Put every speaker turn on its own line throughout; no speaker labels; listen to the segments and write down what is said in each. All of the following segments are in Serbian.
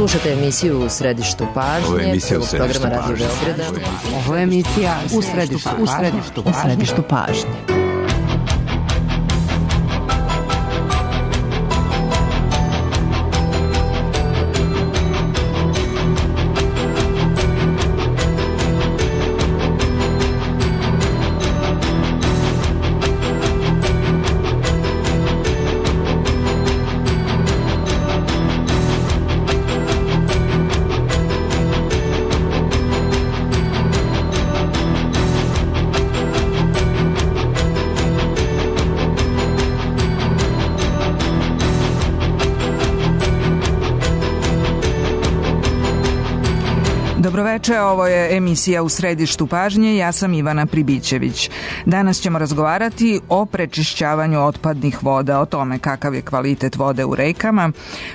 Slušate emisiju U središtu pažnje, prvog programa Radio Beograda.
Ovo je emisija U središtu pažnje. Dobroveče, ovo je emisija U središtu pažnje, ja sam Ivana Pribićević. Danas ćemo razgovarati o prečišćavanju otpadnih voda, o tome kakav je kvalitet vode u rekama,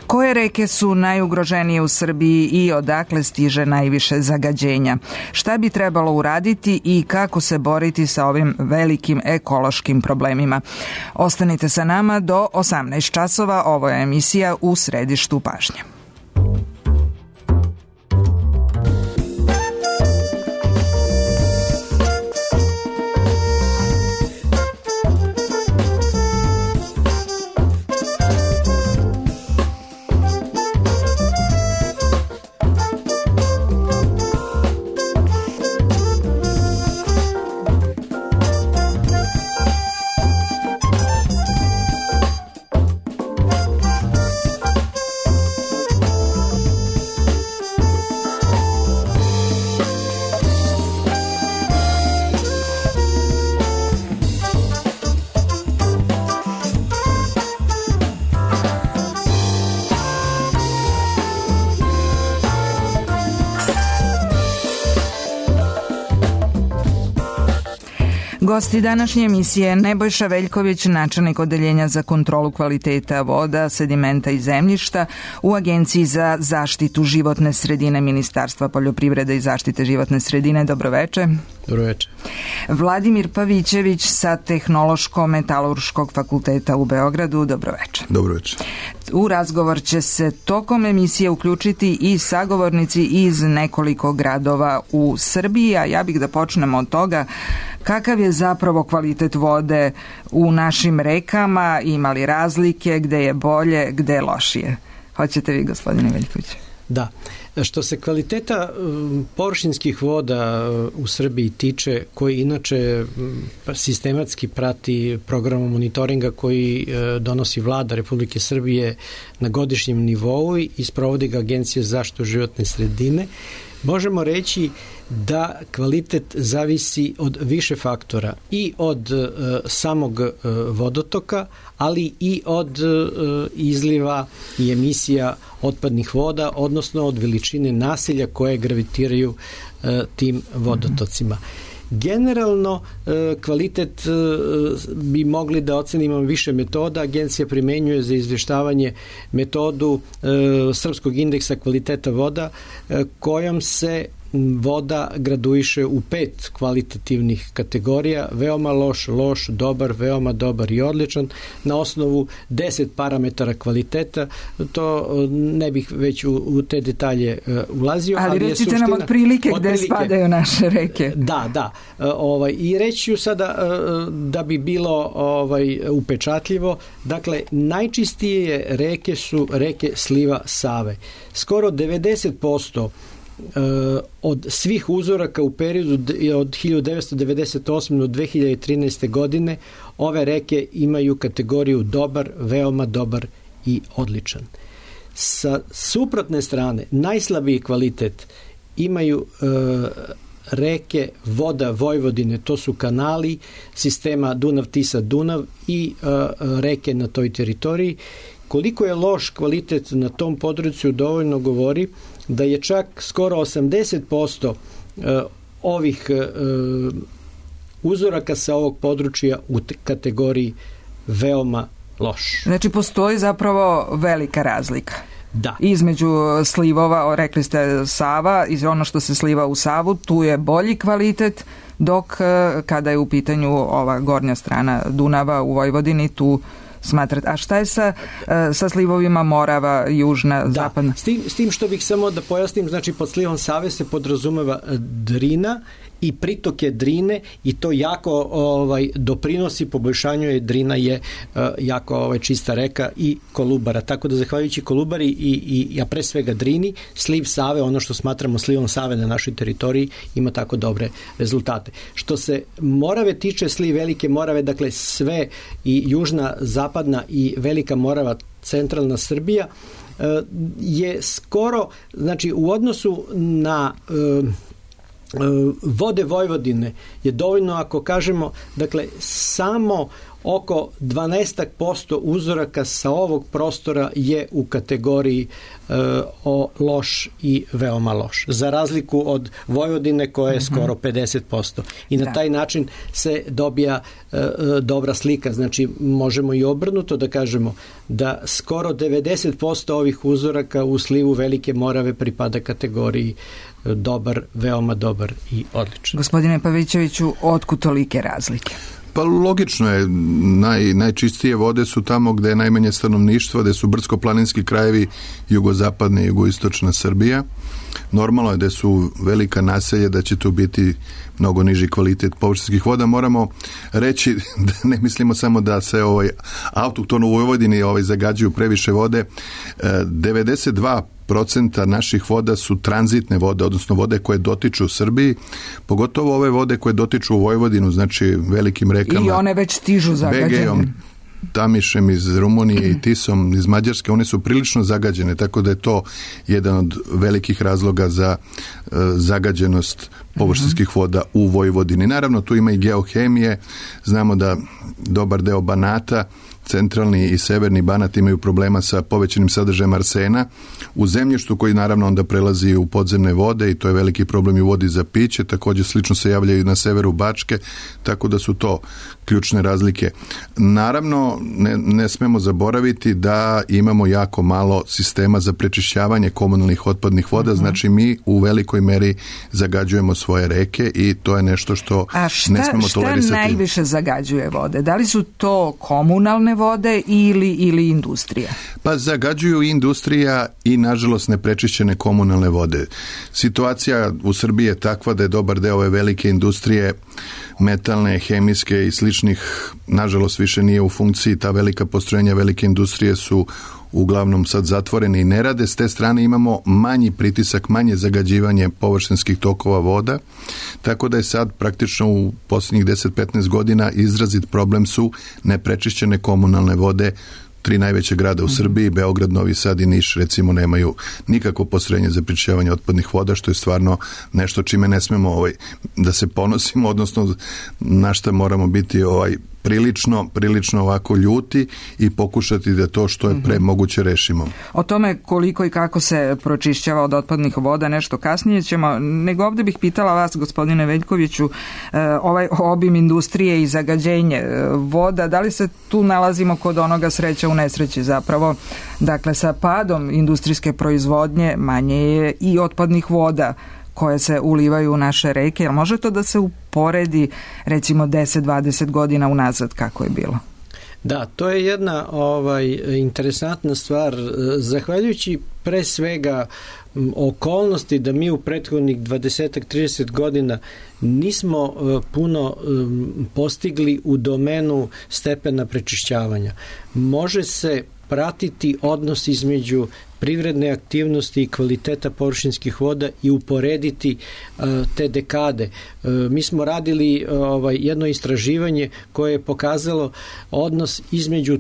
koje reke su najugroženije u Srbiji i odakle stiže najviše zagađenja. Šta bi trebalo uraditi i kako se boriti sa ovim velikim ekološkim problemima. Ostanite sa nama do 18 časova, ovo je emisija U središtu pažnje. Gosti današnje emisije Nebojša Veljković, načelnik Odeljenja za kontrolu kvaliteta voda, sedimenta i zemljišta u Agenciji za zaštitu životne sredine Ministarstva poljoprivrede i zaštite životne sredine. Dobroveče.
Dobroveče.
Vladimir Pavićević sa Tehnološko-metalurškog fakulteta u Beogradu. Dobroveče.
Dobroveče.
U razgovor će se tokom emisije uključiti i sagovornici iz nekoliko gradova u Srbiji, a ja bih da počnemo od toga kakav je zapravo kvalitet vode u našim rekama, ima li razlike, gde je bolje, gde je lošije. Hoćete vi, gospodine Veljković?
Da. Što se kvaliteta površinskih voda u Srbiji tiče, koji inače sistematski prati program monitoringa koji donosi Vlada Republike Srbije na godišnjem nivou i sprovodi ga Agencija za zaštitu životne sredine, možemo reći da kvalitet zavisi od više faktora i od samog vodotoka, ali i od izliva i emisija otpadnih voda, odnosno od veličine naselja koje gravitiraju tim vodotocima. Generalno, kvalitet bi mogli da ocenimo više metoda. Agencija primenjuje za izvještavanje metodu Srpskog indeksa kvaliteta voda, kojom se voda graduiše u 5 kvalitativnih kategorija: veoma loš, loš, dobar, veoma dobar i odličan, na osnovu 10 parametara kvaliteta. To ne bih već u te detalje ulazio.
Ali recite nam otprilike gde spadaju naše reke.
Da. I reći ću sada da bi bilo upečatljivo. Dakle, najčistije reke su reke sliva Save. Skoro 90% od svih uzoraka u periodu od 1998. do 2013. godine ove reke imaju kategoriju dobar, veoma dobar i odličan. Sa suprotne strane, najslabiji kvalitet imaju reke voda Vojvodine, to su kanali sistema Dunav-Tisa-Dunav i reke na toj teritoriji. Koliko je loš kvalitet na tom području dovoljno govori da je čak skoro 80% ovih uzoraka sa ovog područja u kategoriji veoma loš.
Znači postoji zapravo velika razlika.
Da.
Između slivova, rekli ste Sava, iz ono što se sliva u Savu, tu je bolji kvalitet, dok kada je u pitanju ova gornja strana Dunava u Vojvodini, tu smatrate. A šta je sa slivovima Morava, južna, zapadna?
S tim što bih samo da pojasnim, znači pod slivom Save se podrazumeva Drina i pritoke Drine i to jako doprinosi poboljšanju, Drina je jako čista reka i Kolubara. Tako da zahvaljujući Kolubari i a pre svega Drini, sliv Save, ono što smatramo slivom Save na našoj teritoriji, ima tako dobre rezultate. Što se Morave tiče, sliv Velike Morave, dakle sve i južna, zapadna i Velika Morava, centralna Srbija, je skoro, znači u odnosu na vode Vojvodine je dovoljno ako kažemo, dakle samo oko 12% uzoraka sa ovog prostora je u kategoriji loš i veoma loš. Za razliku od Vojvodine koja je skoro 50%. I na taj način se dobija dobra slika. Znači možemo i obrnuto da kažemo da skoro 90% ovih uzoraka u slivu Velike Morave pripada kategoriji dobar, veoma dobar i odličan.
Gospodine Pavićeviću, otkud tolike razlike?
Pa logično je, najčistije vode su tamo gde je najmanje stanovništva, gde su brdsko-planinski krajevi, jugozapadna i jugoistočna Srbija. Normalno je da su velika naselja, da će tu biti mnogo niži kvalitet površinskih voda. Moramo reći da ne mislimo samo da se autohtono u Vojvodini zagađuju previše vode. 92% naših voda su tranzitne vode, odnosno vode koje dotiču u Srbiji, pogotovo ove vode koje dotiču u Vojvodinu, znači velikim rekama.
I one već stižu zagađenje.
Begejom, Tamišem iz Rumunije i Tisom iz Mađarske, one su prilično zagađene, tako da je to jedan od velikih razloga za zagađenost površinskih voda u Vojvodini. Naravno, tu ima i geohemije, znamo da dobar deo Banata, centralni i severni Banat imaju problema sa povećanim sadržajem arsena u zemljištu koji naravno onda prelazi u podzemne vode i to je veliki problem i u vodi za piće. Također slično se javljaju na severu Bačke, tako da su to ključne razlike. Naravno, ne smemo zaboraviti da imamo jako malo sistema za prečišćavanje komunalnih otpadnih voda, znači mi u velikoj meri zagađujemo svoje reke i to je nešto što ne smemo tolerisati.
A šta najviše zagađuje vode? Da li su to komunalne vode ili industrija?
Pa zagađuju i industrija i nažalost neprečišćene komunalne vode. Situacija u Srbiji je takva da je dobar deo ove velike industrije, metalne, hemijske i sličnih, nažalost više nije u funkciji. Ta velika postrojenja, velike industrije su uglavnom sad zatvorene i ne rade. S te strane imamo manji pritisak, manje zagađivanje površinskih tokova voda, tako da je sad praktično u posljednjih 10-15 godina izrazit problem su neprečišćene komunalne vode. 3 najveće grada u Srbiji, Beograd, Novi Sad i Niš, recimo, nemaju nikakvo postrojenje za prečišćavanje otpadnih voda, što je stvarno nešto čime ne smemo da se ponosimo, odnosno na šta moramo biti prilično ovako ljuti i pokušati da to što je pre moguće rešimo.
O tome koliko i kako se pročišćava od otpadnih voda nešto kasnije ćemo, nego ovdje bih pitala vas, gospodine Veljkoviću, ovaj obim industrije i zagađenje voda, da li se tu nalazimo kod onoga sreća u nesreći zapravo? Dakle, sa padom industrijske proizvodnje manje je i otpadnih voda koje se ulivaju u naše reke. Jel može to da se uporedi recimo 10-20 godina unazad kako je bilo?
Da, to je jedna interesantna stvar. Zahvaljujući pre svega okolnosti da mi u prethodnih 20-30 godina nismo puno postigli u domenu stepena prečišćavanja. Može se pratiti odnos između privredne aktivnosti i kvaliteta površinskih voda i uporediti te dekade. Mi smo radili jedno istraživanje koje je pokazalo odnos između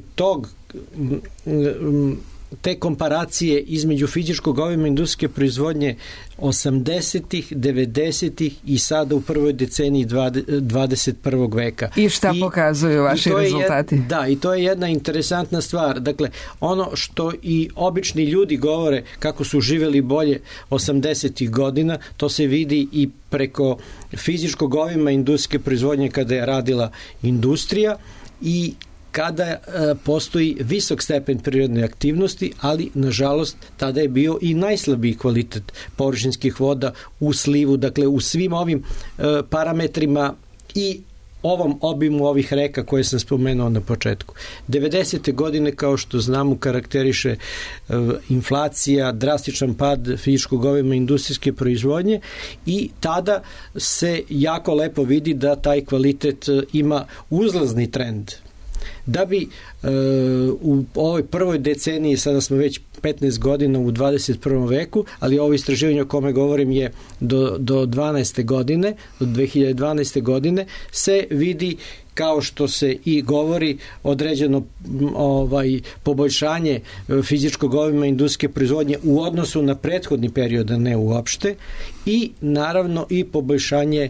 te komparacije između fizičkog obima industrijske proizvodnje 80-ih, 90-ih i sada u prvoj deceniji 21. veka.
I šta pokazuju vaši rezultati?
I to je jedna interesantna stvar. Dakle, ono što i obični ljudi govore kako su živjeli bolje 80-ih godina, to se vidi i preko fizičkog obima industrijske proizvodnje kada je radila industrija i kada postoji visok stepen prirodne aktivnosti, ali nažalost tada je bio i najslabiji kvalitet površinskih voda u slivu, dakle u svim ovim parametrima i ovom obimu ovih reka koje sam spomenuo na početku. 90. godine, kao što znamo, karakteriše inflacija, drastičan pad fizičkog obima industrijske proizvodnje i tada se jako lepo vidi da taj kvalitet ima uzlazni trend. Da bi u ovoj prvoj deceniji, sada smo već 15 godina u 21. veku, ali ovo istraživanje o kome govorim je do 12. godine, do 2012. godine, se vidi, kao što se i govori, određeno poboljšanje fizičkog obima industrijske proizvodnje u odnosu na prethodni period, a ne uopšte, i naravno i poboljšanje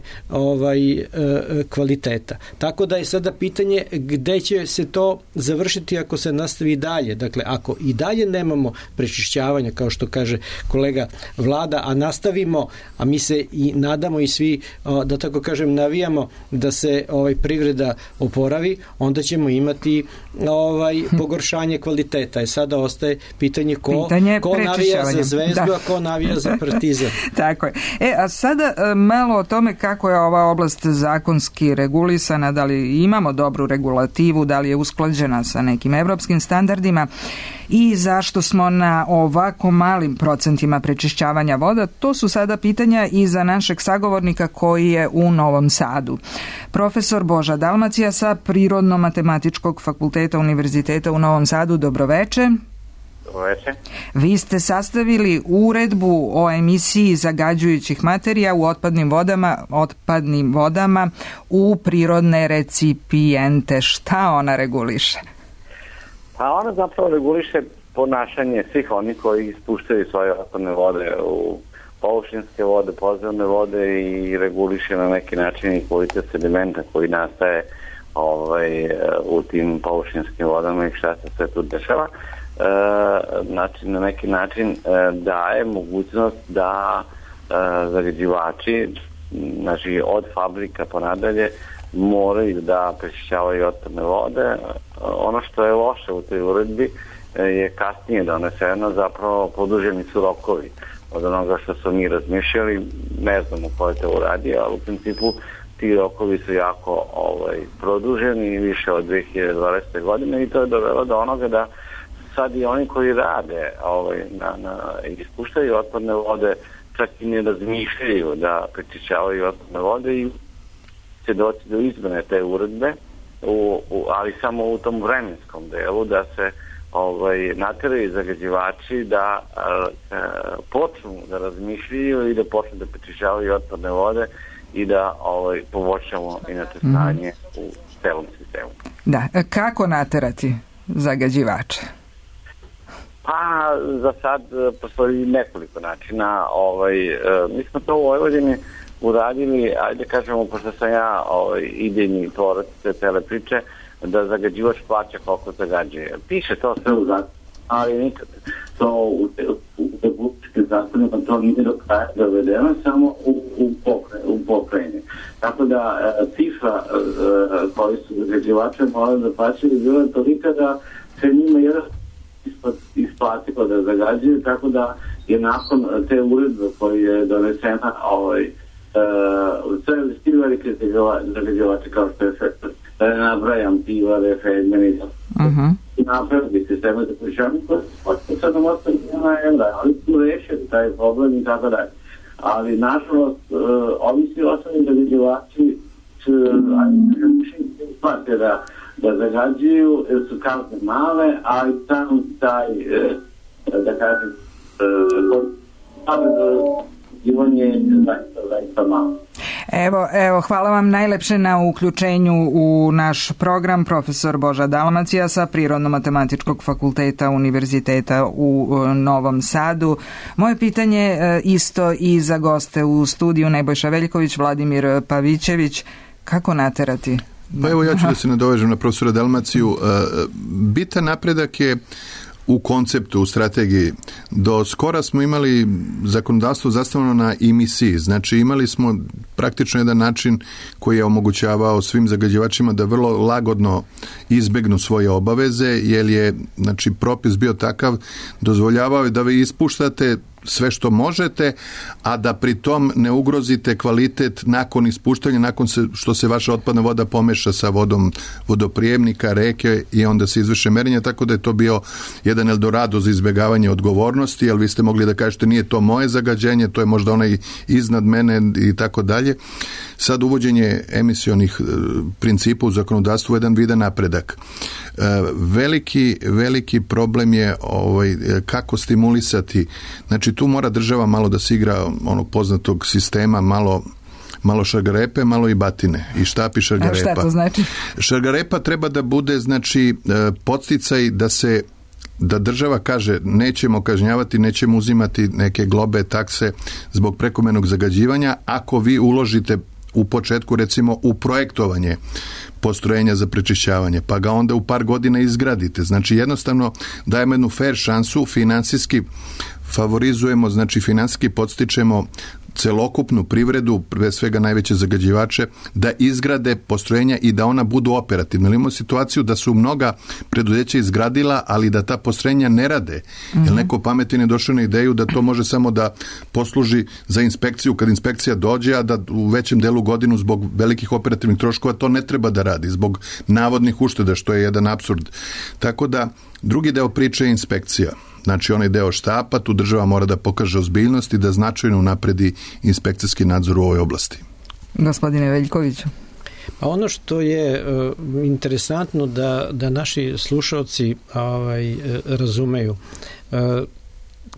kvaliteta. Tako da je sada pitanje gde će se to završiti ako se nastavi dalje. Dakle, ako i dalje nemamo prečišćavanja, kao što kaže kolega Vlada, a nastavimo, a mi se i nadamo i svi, da tako kažem, navijamo da se privreda oporavi, onda ćemo imati pogoršanje kvaliteta. I sada ostaje pitanje ko navija za Zvezdu, a ko navija za Partizan.
Tako je. A sada malo o tome kako je ova oblast zakonski regulisana, da li imamo dobru regulativu, da li je usklađena sa nekim evropskim standardima i zašto smo na ovako malim procentima prečišćavanja voda. To su sada pitanja i za našeg sagovornika koji je u Novom Sadu. Profesor Boža Dalmacija sa Prirodno-matematičkog fakulteta Univerziteta u Novom Sadu. Dobroveče.
Dobroveče.
Vi ste sastavili uredbu o emisiji zagađujućih materija u otpadnim vodama u prirodne recipijente. Šta ona reguliše?
Pa ona zapravo reguliše ponašanje svih onih koji ispuštaju svoje otpadne vode u površinske vode, podzemne vode i reguliše na neki način i kvalitet sedimenta koji nastaje u tim površinskim vodama i šta se sve tu dešava. Znači, na neki način daje mogućnost da zagađivači, znači od fabrika pa nadalje, moraju da prečišćavaju otpadne vode. Ono što je loše u toj uredbi je kasnije doneseno, zapravo produženi su rokovi od onoga što su mi razmišljali, ne znamo ko je to uradio, ali u principu ti rokovi su jako produženi, više od 2020. godine, i to je dovelo do onoga da sad i oni koji rade ispuštaju otpadne vode, čak i ne razmišljaju da prečišćavaju otpadne vode i će doći do izmene te uredbe, ali samo u tom vremenskom delu, da se nateraju zagađivači da počnu da razmišljaju i da počnu da prečišćavaju otpadne vode i da poboljšamo inače stanje u celom sistemu.
Da, kako naterati zagađivače?
Pa za sad postoji nekoliko načina. Mi smo to u Vojvodini uradili, ajde kažemo, pošto sam ja idejni tvorac te cele priče, da zagađivač plaća koliko zagađuje. Piše to sve u zakonu, ali nikad to u republičkim zakonima to nije do kraja dovedeno, samo u pokrajini. Tako da cifra koji su zagađivače morali da plaćaju je bila tolika da se njima jedan isplatilo da zagađuju, tako da je nakon te uredbe koja je donesena sve svi velike zagađivače kao što je da ne nabrajam Pivare, Fedmeni i napravili sisteme za prečišćavanje koje sad nam ostali €1, ali su rešili taj problem i tako dalje. Ali nažalost ovi svi ostali zagađivači isplate da zagađuju, jer su kazne male, ali sam taj da kažem je zaista malo.
Evo, hvala vam najlepše na uključenju u naš program, profesor Boža Dalmacija sa Prirodno-matematičkog fakulteta Univerziteta u Novom Sadu. Moje pitanje isto i za goste u studiju, Nebojša Veljković, Vladimir Pavićević. Kako naterati?
Pa evo, ja ću da se nadovežem na profesora Dalmaciju. Bitan napredak je u konceptu, u strategiji. Do skora smo imali zakonodavstvo zastavljeno na emisiji, znači imali smo praktično jedan način koji je omogućavao svim zagađivačima da vrlo lagodno izbegnu svoje obaveze, jer je propis bio takav, dozvoljavao je da vi ispuštate sve što možete, a da pri tom ne ugrozite kvalitet nakon ispuštanja, nakon što se vaša otpadna voda pomeša sa vodom vodoprijemnika, reke i onda se izvrše merenja, tako da je to bio jedan eldorado za izbjegavanje odgovornosti, jer vi ste mogli da kažete nije to moje zagađenje, to je možda onaj iznad mene i tako dalje. Sad uvođenje emisionih principa u zakonodavstvu je jedan vidan napredak. Veliki problem je kako stimulisati. Znači tu mora država malo da se igra onog poznatog sistema, malo šargarepe, malo i batine. I štapi šargarepa.
A šta to znači?
Šargarepa treba da bude podsticaj da država kaže nećemo kažnjavati, nećemo uzimati neke globe, takse zbog prekomernog zagađivanja ako vi uložite u početku recimo u projektovanje postrojenja za prečišćavanje, pa ga onda u par godina izgradite. Znači jednostavno dajemo jednu fair šansu, finansijski favorizujemo, znači finansijski podstičemo celokupnu privredu, pre svega najveće zagađivače, da izgrade postrojenja i da ona budu operativna. Imamo situaciju da su mnoga preduzeća izgradila, ali da ta postrojenja ne rade. Jer neko pametan je došao na ideju da to može samo da posluži za inspekciju kad inspekcija dođe, a da u većem delu godinu zbog velikih operativnih troškova to ne treba da radi, zbog navodnih ušteda, što je jedan apsurd. Tako da drugi deo priče je inspekcija. Znači onaj deo štapa, tu država mora da pokaže ozbiljnost i da značajno unapredi inspekcijski nadzor u ovoj oblasti.
Gospodine Veljkoviću.
Pa ono što je interesantno da naši slušalci razumeju,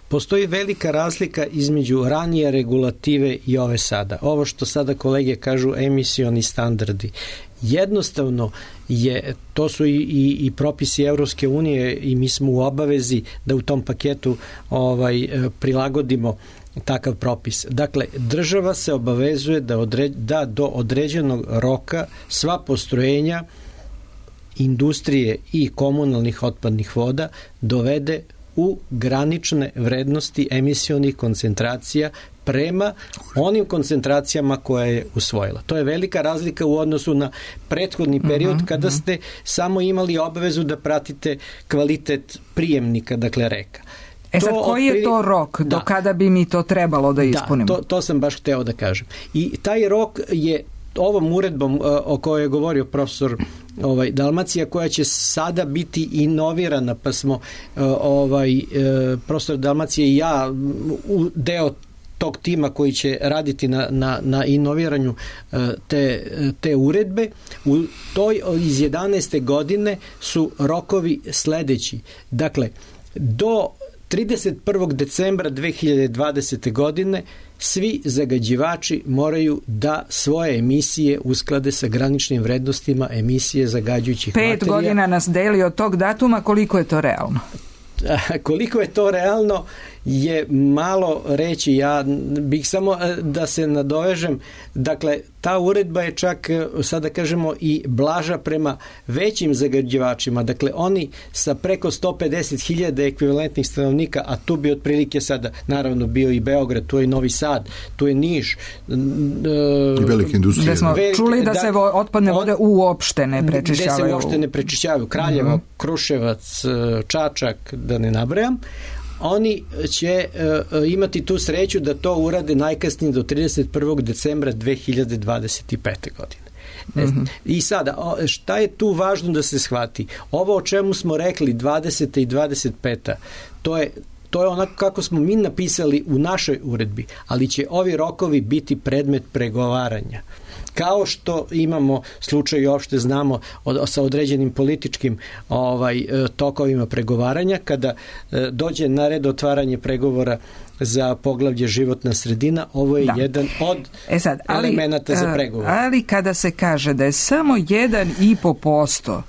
postoji velika razlika između ranije regulative i ove sada. Ovo što sada kolege kažu emisioni standardi. Jednostavno to su i propisi Evropske unije i mi smo u obavezi da u tom paketu prilagodimo takav propis. Dakle, država se obavezuje da do određenog roka sva postrojenja industrije i komunalnih otpadnih voda dovede u granične vrednosti emisionih koncentracija prema onim koncentracijama koje je usvojila. To je velika razlika u odnosu na prethodni period kada ste samo imali obavezu da pratite kvalitet prijemnika, dakle reka.
Sad, koji je to rok do kada bi mi to trebalo da ispunimo?
Da, to sam baš hteo da kažem. I taj rok je ovom uredbom o kojoj je govorio profesor Dalmacija, koja će sada biti inovirana, pa smo profesor Dalmacija i ja deo tog tima koji će raditi na inoviranju te uredbe. U toj iz 11. godine su rokovi sledeći. Dakle, do 31. decembra 2020. godine svi zagađivači moraju da svoje emisije usklade sa graničnim vrednostima emisije zagađujućih materija.
5 godina nas deli od tog datuma, koliko je to realno?
Koliko je to realno je malo reći. Ja bih samo da se nadovežem. Dakle, ta uredba je čak, sada kažemo, i blaža prema većim zagađivačima. Dakle, oni sa preko 150.000 ekvivalentnih stanovnika, a tu bi otprilike sada, naravno, bio i Beograd, tu je Novi Sad, tu je Niš.
I velike industrije.
Gde smo čuli da se otpadne vode uopšte ne prečišćavaju.
Gde se uopšte ne prečišćavaju. Kraljevo, Kruševac, Čačak, da ne nabrajam. Oni će imati tu sreću da to urade najkasnije do 31. decembra 2025. godine. I sada, šta je tu važno da se shvati? Ovo o čemu smo rekli 20. i 25. To je onako kako smo mi napisali u našoj uredbi, ali će ovi rokovi biti predmet pregovaranja. Kao što imamo slučaj i opšte znamo sa određenim političkim tokovima pregovaranja, kada dođe na red otvaranje pregovora za poglavlje životna sredina, ovo je jedan od elemenata za pregovor.
Ali kada se kaže da je samo 1,5%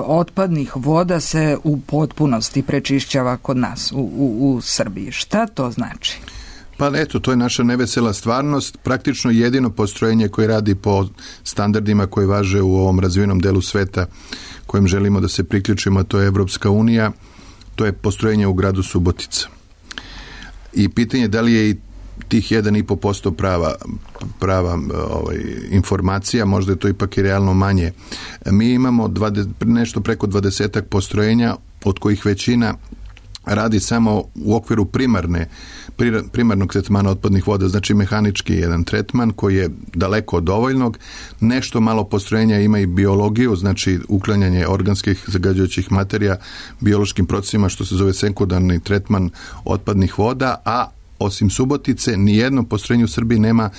otpadnih voda se u potpunosti prečišćava kod nas u Srbiji, šta to znači?
Pa eto, to je naša nevesela stvarnost. Praktično jedino postrojenje koje radi po standardima koji važe u ovom razvijenom delu sveta kojim želimo da se priključimo, to je Evropska unija, to je postrojenje u gradu Subotica. I pitanje da li je i tih 1,5% prava informacija, možda je to ipak i realno manje. Mi imamo nešto preko 20 postrojenja, od kojih većina radi samo u okviru primarnog tretmana otpadnih voda, znači mehanički jedan tretman koji je daleko od dovoljnog. Nešto malo postrojenja ima i biologiju, znači uklanjanje organskih zagađujućih materija biološkim procesima, što se zove sekundarni tretman otpadnih voda, a osim Subotice nijedno postrojenje u Srbiji nema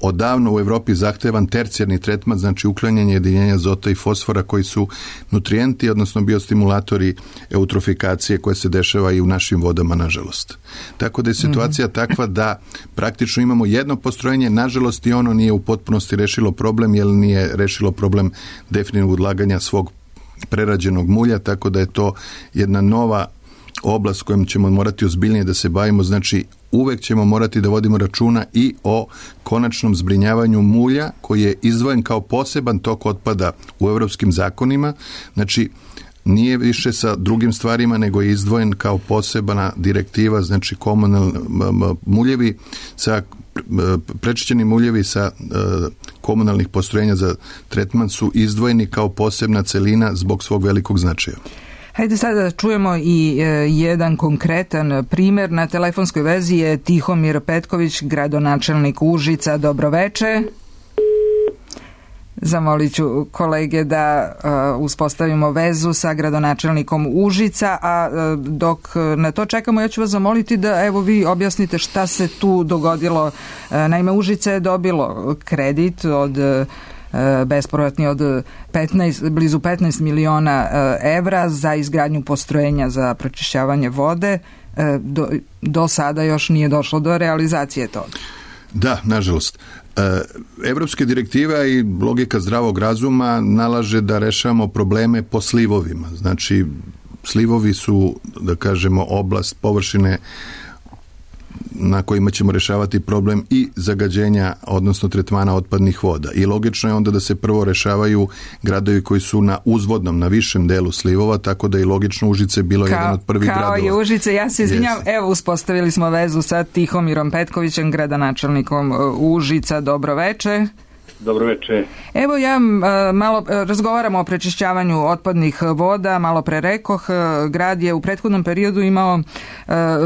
odavno u Evropi zahtevan tercijarni tretman, znači uklanjanje jedinjenja azota i fosfora koji su nutrijenti, odnosno biostimulatori eutrofikacije koje se dešava i u našim vodama, nažalost. Tako da je situacija takva da praktično imamo jedno postrojenje, nažalost i ono nije u potpunosti rešilo problem, jer nije rešilo problem definitivnog odlaganja svog prerađenog mulja, tako da je to jedna nova oblast kojom ćemo morati ozbiljnije da se bavimo, znači uvek ćemo morati da vodimo računa i o konačnom zbrinjavanju mulja koji je izdvojen kao poseban tok otpada u evropskim zakonima, znači nije više sa drugim stvarima, nego je izdvojen kao posebna direktiva, znači muljevi sa prečišćeni muljevi sa komunalnih postrojenja za tretman su izdvojeni kao posebna celina zbog svog velikog značaja.
Hajde sada da čujemo i jedan konkretan primer. Na telefonskoj vezi je Tihomir Petković, gradonačelnik Užica. Dobroveče. Zamolit ću kolege da uspostavimo vezu sa gradonačelnikom Užica, a dok na to čekamo, ja ću vas zamoliti da evo vi objasnite šta se tu dogodilo. Naime, Užice je dobilo kredit od bespovratni od blizu 15 miliona evra za izgradnju postrojenja za pročišćavanje vode. Do sada još nije došlo do realizacije toga.
Da, nažalost. Evropske direktive i logika zdravog razuma nalaže da rešavamo probleme po slivovima. Znači, slivovi su, da kažemo, oblast površine na kojima ćemo rešavati problem i zagađenja, odnosno tretmana otpadnih voda. I logično je onda da se prvo rešavaju gradovi koji su na uzvodnom, na višem delu slivova, tako da je logično Užice bilo jedan od prvih gradova.
Kao i Užice, ja se izvinjam, evo uspostavili smo vezu sa Tihomirom Petkovićem, gradonačelnikom Užica. Dobroveče.
Dobroveče.
Evo ja malo razgovaramo o prečišćavanju otpadnih voda, malo pre rekoh, grad je u prethodnom periodu imao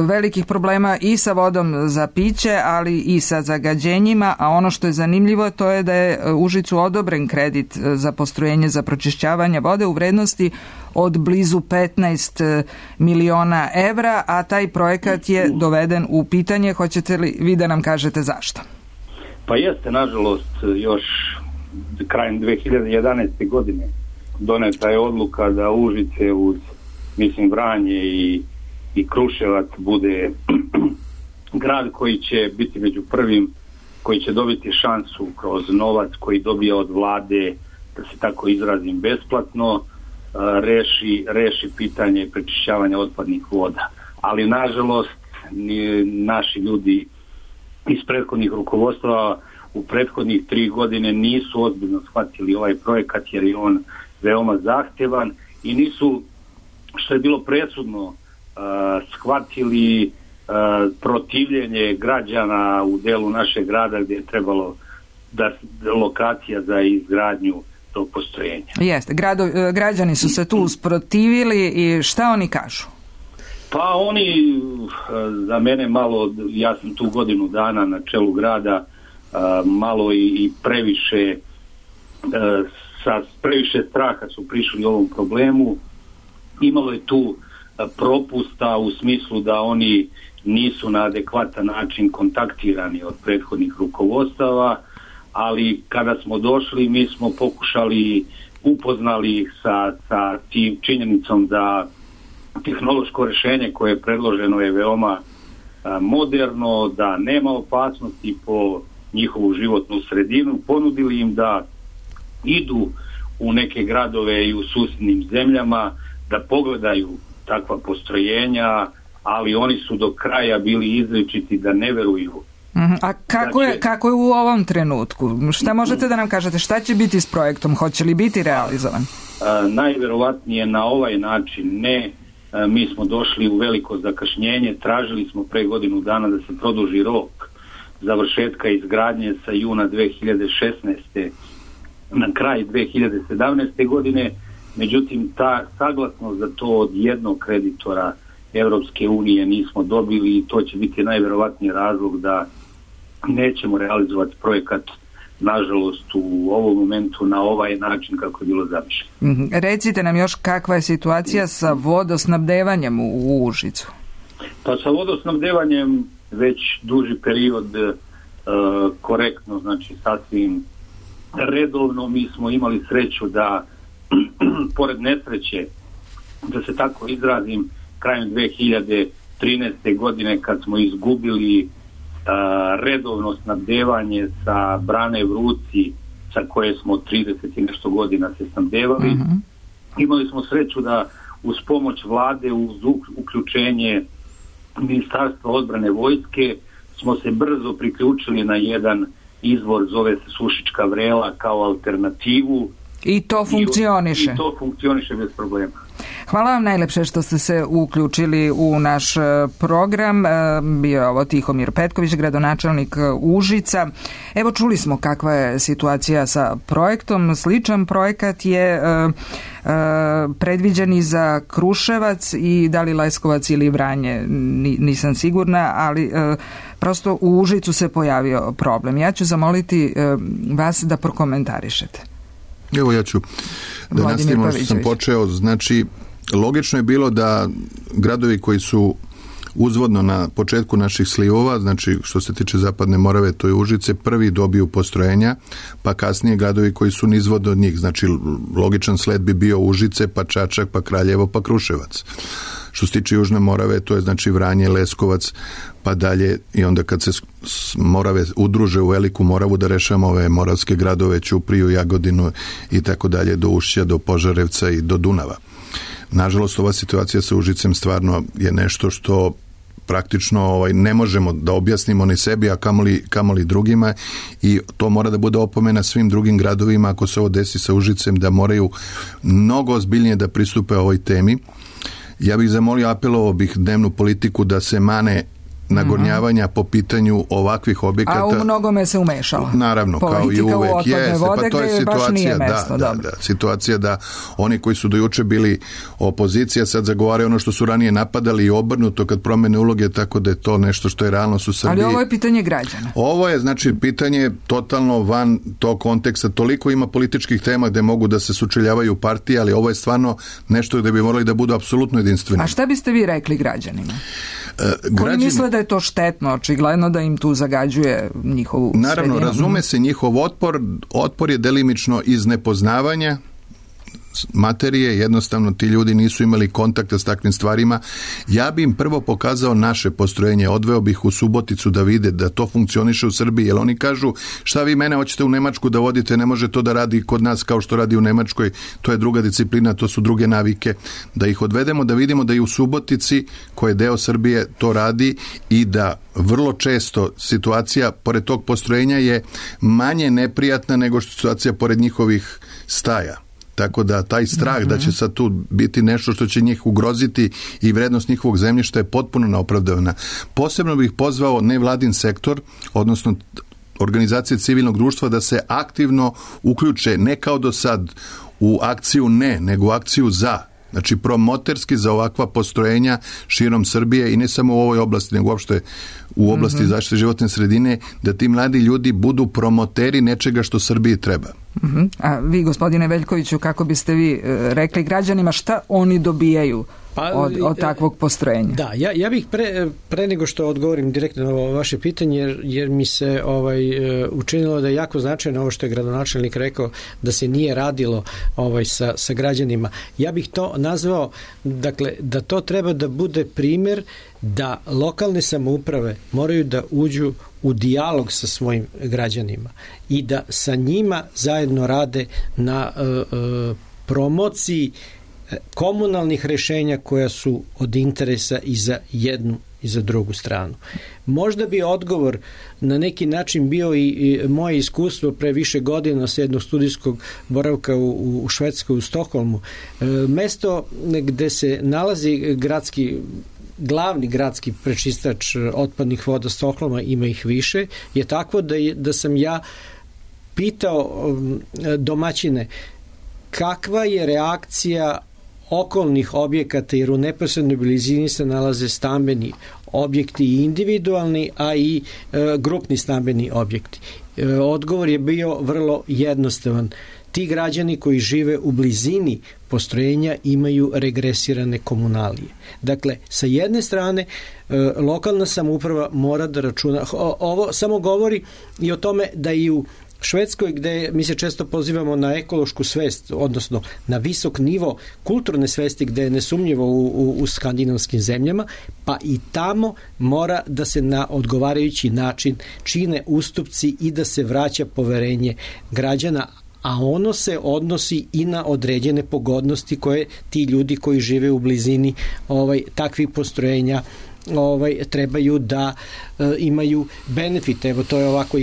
velikih problema i sa vodom za piće, ali i sa zagađenjima, a ono što je zanimljivo to je da je Užicu odobren kredit za postrojenje za pročišćavanje vode u vrednosti od blizu 15 miliona evra, a taj projekat je doveden u pitanje. Hoćete li vi da nam kažete zašto?
Pa jeste, nažalost, još krajem 2011. godine doneta je odluka da Užice uz, Vranje i Kruševac bude grad koji će biti među prvim, koji će dobiti šansu kroz novac koji dobija od vlade, da se tako izrazim, besplatno, reši pitanje prečišćavanja otpadnih voda. Ali, nažalost, naši ljudi iz prethodnih rukovodstva u prethodnih 3 godine nisu ozbiljno shvatili ovaj projekat, jer je on veoma zahtevan i nisu, što je bilo presudno, shvatili protivljenje građana u delu našeg grada gdje je trebalo da lokacija za izgradnju tog postrojenja.
Jeste, građani su se tu usprotivili i šta oni kažu?
Pa oni, za mene malo, ja sam tu godinu dana na čelu grada, malo i previše, sa previše straha su prišli ovom problemu. Imalo je tu propusta u smislu da oni nisu na adekvatan način kontaktirani od prethodnih rukovodstava, ali kada smo došli mi smo pokušali, upoznali sa tim činjenicom da tehnološko rešenje koje je predloženo je veoma moderno, da nema opasnosti po njihovu životnu sredinu. Ponudili im da idu u neke gradove i u susjednim zemljama, da pogledaju takva postrojenja, ali oni su do kraja bili izričiti da ne veruju.
A kako je u ovom trenutku? Šta možete da nam kažete? Šta će biti s projektom? Hoće li biti realizovan?
Najverovatnije na ovaj način ne. Mi smo došli u veliko zakašnjenje, tražili smo pre godinu dana da se produži rok završetka izgradnje sa juna 2016. na kraj 2017. godine, međutim ta saglasnost za to od jednog kreditora Evropske unije nismo dobili i to će biti najverovatniji razlog da nećemo realizovati projekat, nažalost, u ovom momentu na ovaj način kako je bilo zamišljeno.
Recite nam još kakva je situacija sa vodosnabdevanjem u Užicu?
Pa sa vodosnabdevanjem već duži period korektno, znači sasvim redovno. Mi smo imali sreću da pored nesreće, da se tako izrazim, krajem 2013. godine kad smo izgubili redovno snabdevanje sa brane Vruci sa koje smo 30 i nešto godina se snabdevali. Imali smo sreću da uz pomoć vlade, uz uključenje Ministarstva odbrane vojske smo se brzo priključili na jedan izvor, zove se Sušička Vrela, kao alternativu.
I to funkcioniše.
I to funkcioniše bez problema.
Hvala vam najlepše što ste se uključili u naš program. Bio je ovo Tihomir Petković, gradonačelnik Užica. Evo, čuli smo kakva je situacija sa projektom. Sličan projekat je predviđen i za Kruševac i da li Leskovac ili Vranje, nisam sigurna, ali prosto u Užicu se pojavio problem. Ja ću zamoliti vas da prokomentarišete.
Evo ja ću da nastavimo što sam počeo. Znači, logično je bilo da gradovi koji su uzvodno na početku naših slivova, znači što se tiče Zapadne Morave, to je Užice, prvi dobiju postrojenja, pa kasnije gradovi koji su nizvodno od njih. Znači, logičan sled bi bio Užice, pa Čačak, pa Kraljevo, pa Kruševac. Što se tiče Južne Morave, to je znači Vranje, Leskovac, pa dalje, i onda kad se Morave udruže u Veliku Moravu da rešamo ove moravske gradove, Ćupriju, Jagodinu i tako dalje, do Ušća, do Požarevca i do Dunava. Nažalost, ova situacija sa Užicem stvarno je nešto što praktično ne možemo da objasnimo ni sebi, a kamoli drugima, i to mora da bude opomena svim drugim gradovima ako se ovo desi sa Užicem, da moraju mnogo ozbiljnije da pristupe ovoj temi. Ja bih zamolio, apelovao bih dnevnu politiku da se mane nagornjavanja po pitanju ovakvih objekata.
A u mnogome se umešala.
Naravno, kao i uvek je. Pa to je situacija, situacija da oni koji su do juče bili opozicija sad zagovaraju ono što su ranije napadali i obrnuto kad promene uloge, tako da je to nešto što je realnost u Srbiji.
Ali ovo je pitanje građana.
Ovo je, znači, pitanje totalno van tog konteksta. Toliko ima političkih tema gde mogu da se sučeljavaju partije, ali ovo je stvarno nešto gde bi morali da budu apsolutno jedinstveni.
A šta biste vi rekli građanima? Koji misle da je to štetno, očigledno da im tu zagađuje njihovu sredinu?
Naravno, razume se njihov otpor je delimično iz nepoznavanja materije, jednostavno ti ljudi nisu imali kontakta s takvim stvarima. Ja bi im prvo pokazao naše postrojenje, odveo bih u Suboticu da vide da to funkcioniše u Srbiji, jer oni kažu šta vi mene hoćete u Nemačku da vodite, ne može to da radi kod nas kao što radi u Nemačkoj, to je druga disciplina, to su druge navike, da ih odvedemo da vidimo da i u Subotici, koja je deo Srbije, to radi i da vrlo često situacija pored tog postrojenja je manje neprijatna nego što situacija pored njihovih staja. Tako da taj strah da će sad tu biti nešto što će njih ugroziti i vrednost njihovog zemljišta je potpuno neopravdana. Posebno bih pozvao nevladin sektor, odnosno organizacije civilnog društva, da se aktivno uključe, ne kao do sad u akciju ne, nego u akciju za. Znači promoterski za ovakva postrojenja širom Srbije i ne samo u ovoj oblasti, nego uopšte u oblasti zaštite životne sredine, da ti mladi ljudi budu promoteri nečega što Srbiji treba.
A vi, gospodine Veljkoviću, kako biste vi rekli građanima šta oni dobijaju od takvog postrojenja?
Da, ja bih pre nego što odgovorim direktno na ovo vaše pitanje, jer mi se učinilo da je jako značajno ovo što je gradonačelnik rekao, da se nije radilo sa građanima. Ja bih to nazvao, dakle, da to treba da bude primjer da lokalne samouprave moraju da uđu u dijalog sa svojim građanima i da sa njima zajedno rade na promociji komunalnih rešenja koja su od interesa i za jednu i za drugu stranu. Možda bi odgovor na neki način bio i moje iskustvo pre više godina sa jednog studijskog boravka u Švedskoj, u Stokholmu. Mesto gde se nalazi glavni gradski prečistač otpadnih voda Stokholma, ima ih više, je takvo da sam ja pitao domaćine kakva je reakcija okolnih objekata, jer u neposrednoj blizini se nalaze stambeni objekti i individualni, a i grupni stambeni objekti. Odgovor je bio vrlo jednostavan. Ti građani koji žive u blizini postrojenja imaju regresirane komunalije. Dakle, sa jedne strane, lokalna samouprava mora da računa. Ovo samo govori i o tome da i u Švedskoj, gde mi se često pozivamo na ekološku svest, odnosno na visok nivo kulturne svesti, gde je nesumnjivo u skandinavskim zemljama, pa i tamo mora da se na odgovarajući način čine ustupci i da se vraća poverenje građana, a ono se odnosi i na određene pogodnosti koje ti ljudi koji žive u blizini takvih postrojenja trebaju da imaju benefite. Evo, to je ovako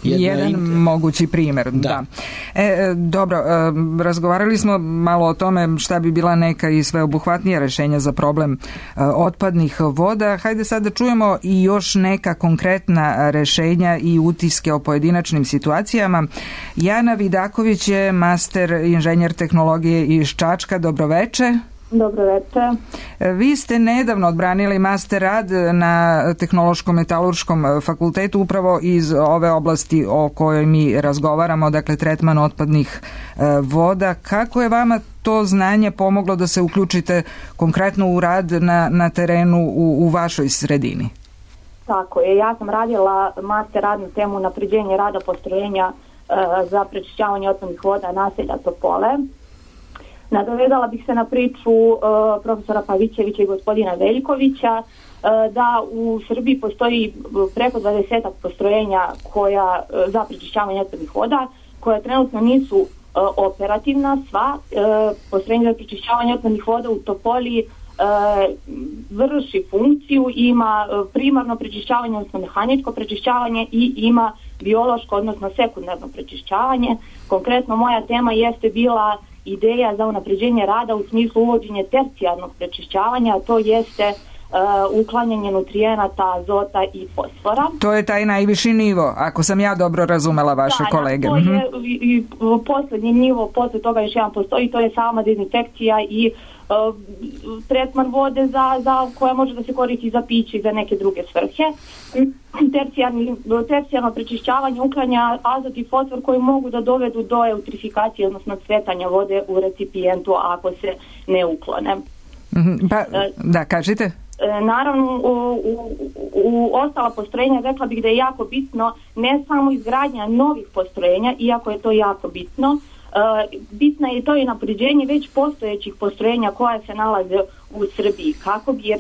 jedan
mogući primjer. Da. Dobro, razgovarali smo malo o tome šta bi bila neka i sveobuhvatnija rešenja za problem otpadnih voda. Hajde sad da čujemo i još neka konkretna rešenja i utiske o pojedinačnim situacijama. Jana Vidaković je master inženjer tehnologije iz Čačka. Dobroveče.
Dobroveče.
Vi ste nedavno odbranili master rad na Tehnološko-metalurškom fakultetu upravo iz ove oblasti o kojoj mi razgovaramo, dakle tretman otpadnih voda. Kako je vama to znanje pomoglo da se uključite konkretno u rad na terenu u vašoj sredini?
Tako je, ja sam radila master rad na temu unapređenja rada postrojenja za prečišćavanje otpadnih voda naselja Topole. Nadovezala bih se na priču profesora Pavićevića i gospodina Veljkovića da u Srbiji postoji preko 20 postrojenja za prečišćavanje otpadnih voda koja trenutno nisu operativna. Sva postrojenja za prečišćavanje otpadnih voda u Topoli vrši funkciju, ima primarno prečišćavanje, odnosno mehaničko prečišćavanje i ima biološko, odnosno sekundarno prečišćavanje. Konkretno moja tema jeste bila ideja za unapređenje rada u smislu uvođenja tercijarnog prečišćavanja, a to jeste uklanjanje nutrijenata, azota i fosfora.
To je taj najviši nivo, ako sam ja dobro razumela vaše kolege.
To je i poslednji nivo, posle toga još jedan postoji, to je sama dezinfekcija i tretman vode koja može da se koristi za piće i za neke druge svrhe. Tercijarno prečišćavanje uklanja azot i fosfor koji mogu da dovedu do eutrifikacije, odnosno cvetanja vode u recipijentu ako se ne uklone.
Da, kažite.
Naravno, u ostala postrojenja rekla bih da je jako bitno ne samo izgradnja novih postrojenja, iako je to jako bitno, bitna je to i napređenje već postojećih postrojenja koja se nalaze u Srbiji. Kako bi, jer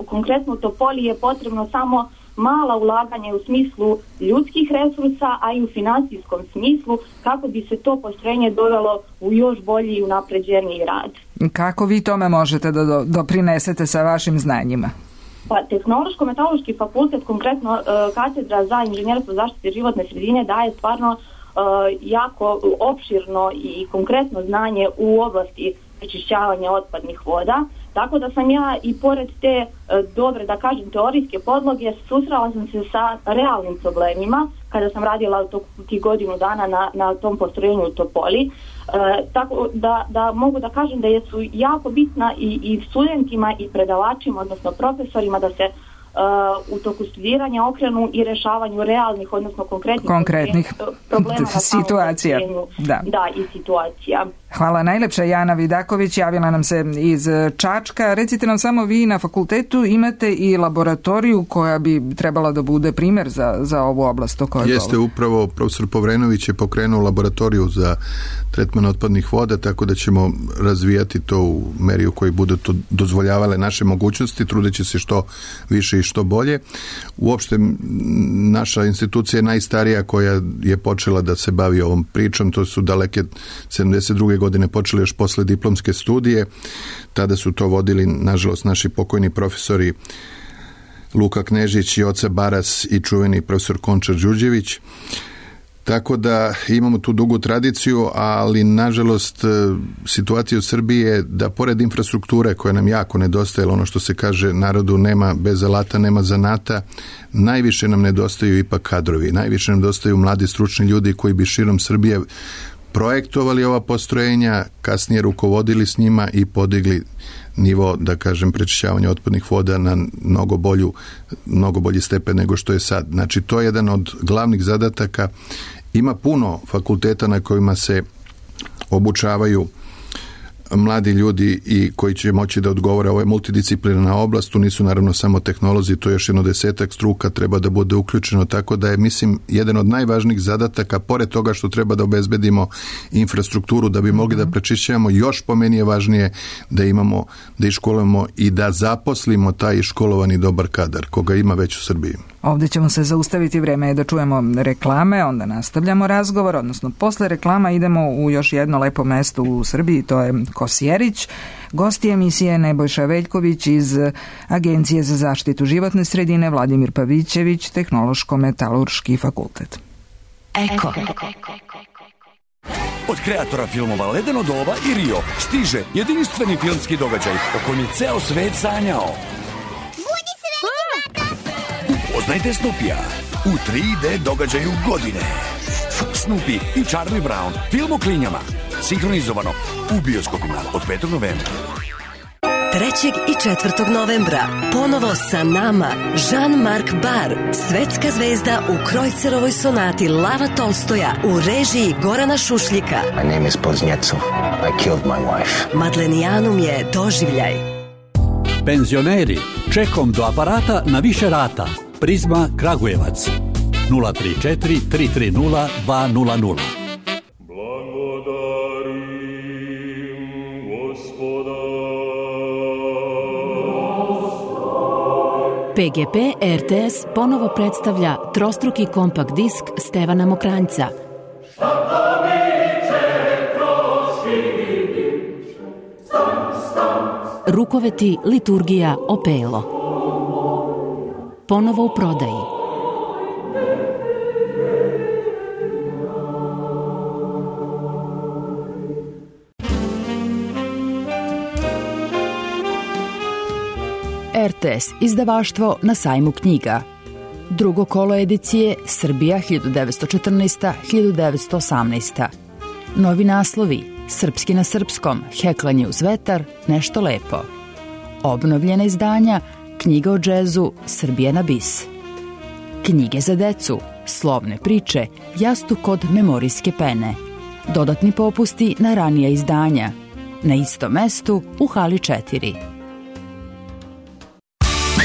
konkretno u Topoli je potrebno samo mala ulaganja u smislu ljudskih resursa, a i u finansijskom smislu, kako bi se to postrojenje dovelo u još bolji i unapređeniji rad.
Kako vi tome možete da doprinesete sa vašim znanjima?
Pa, Tehnološko-metalurški fakultet, konkretno katedra za inženjerstvo zaštite životne sredine, daje stvarno jako opširno i konkretno znanje u oblasti prečišćavanja otpadnih voda, tako da sam ja i pored te dobre, da kažem, teorijske podloge, susrela sam se sa realnim problemima kada sam radila tih godinu dana na tom postrojenju u Topoli, tako da mogu da kažem da su jako bitna i studentima i predavačima, odnosno profesorima, da se u toku studiranja okrenu i rešavanju realnih, odnosno konkretnih problema
situacija.
Da, i situacija.
Hvala najlepša. Jana Vidaković javila nam se iz Čačka. Recite nam samo, vi na fakultetu imate i laboratoriju koja bi trebala da bude primjer za ovu oblast o kojoj
Jeste, upravo profesor Povrenović je pokrenuo laboratoriju za tretman otpadnih voda, tako da ćemo razvijati to u meri u kojoj budu to dozvoljavale naše mogućnosti, trudeći se što više i što bolje. Uopšte naša institucija je najstarija koja je počela da se bavi ovom pričom, to su daleke 72. godine počeli još posle diplomske studije. Tada su to vodili, nažalost, naši pokojni profesori Luka Knežić, Joca Baras i čuveni profesor Končar Đurđević. Tako da imamo tu dugu tradiciju, ali nažalost situacija u Srbiji je da pored infrastrukture koja nam jako nedostaje, ono što se kaže narodu nema bez alata, nema zanata, najviše nam nedostaju ipak kadrovi, najviše nam nedostaju mladi stručni ljudi koji bi širom Srbije projektovali ova postrojenja, kasnije rukovodili s njima i podigli nivo, da kažem, prečišćavanja otpadnih voda na mnogo bolji stepen nego što je sad. Znači, to je jedan od glavnih zadataka. Ima puno fakulteta na kojima se obučavaju mladi ljudi i koji će moći da odgovore. Ovo je multidisciplinarna oblast, tu nisu naravno samo tehnolozi, to je još jedno 10 struka, treba da bude uključeno, tako da je, mislim, jedan od najvažnijih zadataka, pored toga što treba da obezbedimo infrastrukturu da bi mogli da prečišćavamo, još po meni je važnije da imamo, da iškolujemo i da zaposlimo taj iškolovani dobar kadar, koga ima već u Srbiji.
Ovdje ćemo se zaustaviti, vreme je da čujemo reklame, onda nastavljamo razgovor, odnosno posle reklama idemo u još jedno lepo mesto u Srbiji, to je Kosjerić. Gosti emisije Nebojša Veljković iz Agencije za zaštitu životne sredine, Vladimir Pavićević, Tehnološko-metalurški fakultet.
Eko. Od kreatora filmova Ledeno doba i Rio stiže jedinstveni filmski događaj o kojem je ceo svet sanjao. Upoznajte Snoopija u 3D događaju godine. Snoopy i Charlie Brown, film o klinjama, sinhronizovano u bioskopima od 5. novembra.
3. i 4. novembra ponovo sa nama Jean-Marc Barr, svetska zvezda u Krojcerovoj sonati Lava Tolstoja u režiji Gorana Šušljika.
My name is Poznjecov. I killed my wife.
Madlenijanum je doživljaj.
Penzioneri, čekom do aparata na više rata. Prizma Kragujevac 034 330 200.
PGP RTS ponovo predstavlja trostruki kompakt disk Stevana Mokranjca. Rukoveti, liturgija, opelo. Ponovo u prodaji. RTS izdavaštvo na sajmu knjiga. Drugo kolo edicije Srbija 1914-1918. Novi naslovi Srpski na srpskom, Heklanje uz vetar, Nešto lepo. Obnovljena izdanja Knjiga o džezu Srbija na bis. Knjige za decu, Slovne priče, Jastuk kod memorijske pene. Dodatni popusti na ranija izdanja. Na istom mestu u hali 4.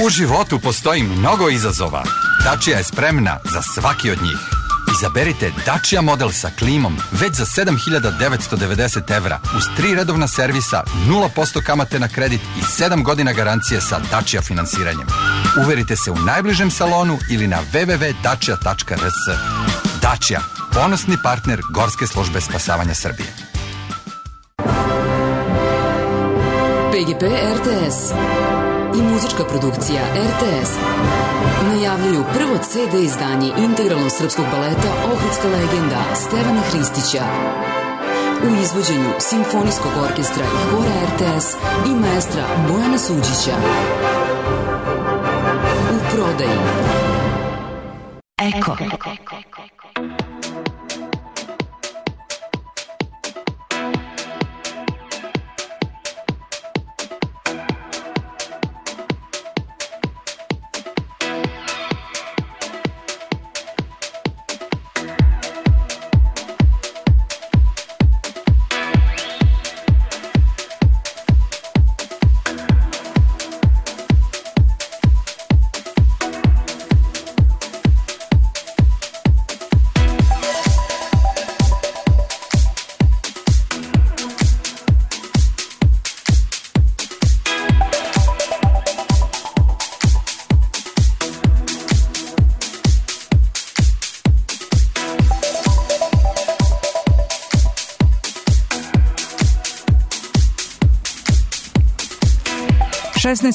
U životu postoji mnogo izazova. Dacia je spremna za svaki od njih. Izaberite Dacia model sa klimom već za 7.990 evra uz 3 redovna servisa, 0% kamate na kredit i 7 godina garancije sa Dacia finansiranjem. Uverite se u najbližem salonu ili na www.dacia.rs. Dacia, ponosni partner Gorske službe spasavanja Srbije.
PGP RTS i muzička produkcija RTS najavljuju prvo CD izdanje integralnog srpskog baleta Ohridska legenda Stevana Hristića u izvođenju Simfonijskog orkestra i hora RTS i maestra Bojana Suđića. U prodaji.
Eko.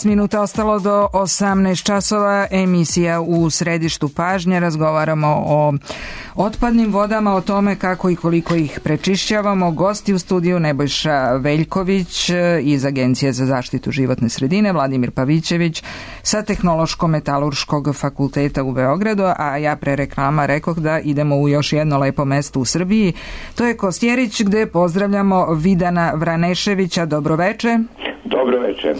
Minuta ostalo do 18 časova, emisija u središtu pažnje, razgovaramo o otpadnim vodama, o tome kako i koliko ih prečišćavamo. Gosti u studiju Nebojša Veljković iz Agencije za zaštitu životne sredine, Vladimir Pavićević sa Tehnološko-metalurškog fakulteta u Beogradu, a ja pre reklama rekoh da idemo u još jedno lepo mesto u Srbiji. To je Kosjerić, gde pozdravljamo Vidana Vraneševića. Dobroveče.
Dobro večer.